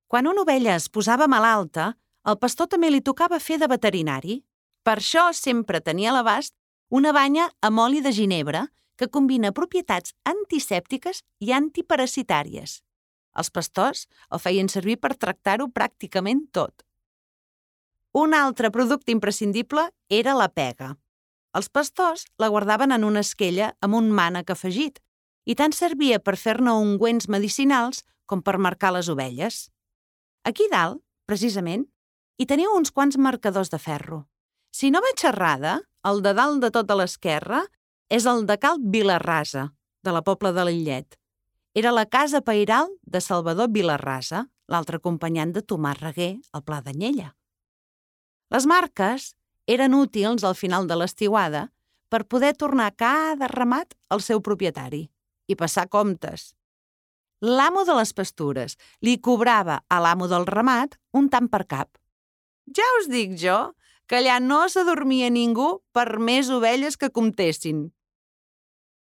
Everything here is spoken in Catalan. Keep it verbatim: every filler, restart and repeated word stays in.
Quan una ovella es posava malalta, al pastor també li tocava fer de veterinari. Per això sempre tenia a l'abast una banya amb oli de ginebre que combina propietats antisèptiques i antiparasitàries. Els pastors el feien servir per tractar-ho pràcticament tot. Un altre producte imprescindible era la pega. Els pastors la guardaven en una esquella amb un mànec afegit i tant servia per fer-ne ungüents medicinals com per marcar les ovelles. Aquí dalt, precisament, hi teniu uns quants marcadors de ferro. Si no vaig errada, el de dalt de tot a l'esquerra és el de Cal Vilarrasa, de la Pobla de Lillet. Era la casa pairal de Salvador Vilarrasa, l'altre acompanyant de Tomàs Reguer, al Pla d'Anyella. Les marques eren útils al final de l'estiuada per poder tornar cada ramat al seu propietari i passar comptes. L'amo de les pastures li cobrava a l'amo del ramat un tant per cap. Ja us dic jo que allà no s'adormia ningú per més ovelles que comptessin.